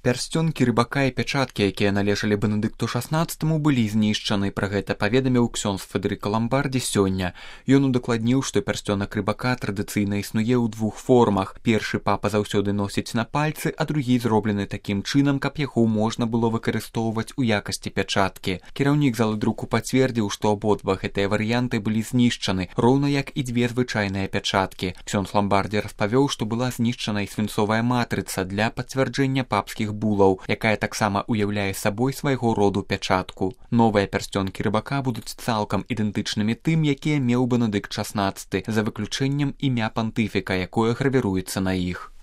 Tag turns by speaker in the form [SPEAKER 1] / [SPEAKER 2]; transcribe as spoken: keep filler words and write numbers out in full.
[SPEAKER 1] Пярсцёнкі рыбака і пячаткі, якія належалі Бенедыкту шаснаццатаму, былі знішчаны. Пра гэта паведаміў ксёндз Федэрыка Ламбардзі сёння. Ён удакладніў, што пярсцёнак рыбака традыцыйна існуе ў двух формах. Першы папа заўсёды носіць на пальцы, а другі зроблены такім чынам, каб яго можна было выкарыстоўваць у якасці пячаткі. Кіраўнік залы друку пацвердзіў, што абодва гэтыя варыянты былі знішчаны, роўна як і дзве звычайныя пячаткі. Ксёндз Ламбардзі распавёў, што была знішчана і свінцовая матрыца для пацвярджэння папскіх булаў, якая таксама уяўляе сабой свайго роду пячатку. Новыя пярсцёнкі рыбака будуць цалкам ідэнтычнымі тым, якія меў Бенедыкт шаснаццаты, за выключэннем імя пантыфіка, якое гравіруецца на іх.